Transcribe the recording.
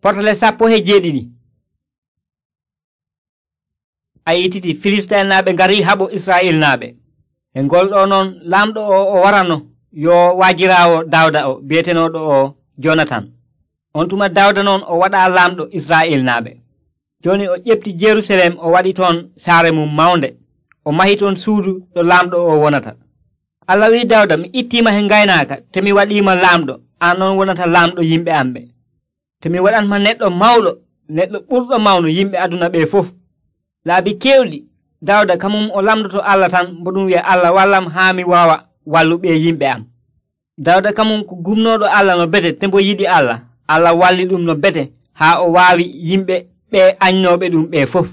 Portale 17. A yititi Filistinaaɓe ngari haɓo Israa'ilnaaɓe. E ngolɗo noon laamɗo o warano yo waajiraawo Dawda o bi'etenooɗo o Jonatan. On tuma Dawda noon o waɗa laamɗo Israa'ilnaaɓe. Joni o ƴefti Jerusalem o waɗi toon saare mum mawnde. O mahi toon suudu ɗo laamɗo o wonata. Allah wi'i Dawda, mi ittiima he ngaynaaka te mi waɗiima laamɗo, an on wonata laamɗo yimɓe am ɓe. Te mi waɗanma neɗɗo mawɗo, neɗɗo ɓurɗo mawnu yimɓe aduna ɓe fof. Laabi kewɗi Dawda kamum o lamdoto Allah tan mbo ɗum wi'a Allah wallam haa mi waawa walluɓe yimɓe am. Dawda kamum ko gumnoɗo Allah no bete te mbo yiɗi Allah. Allah walli ɗum no bete haa o waawi yimɓe ɓe anynoɓe ɗum ɓe fof.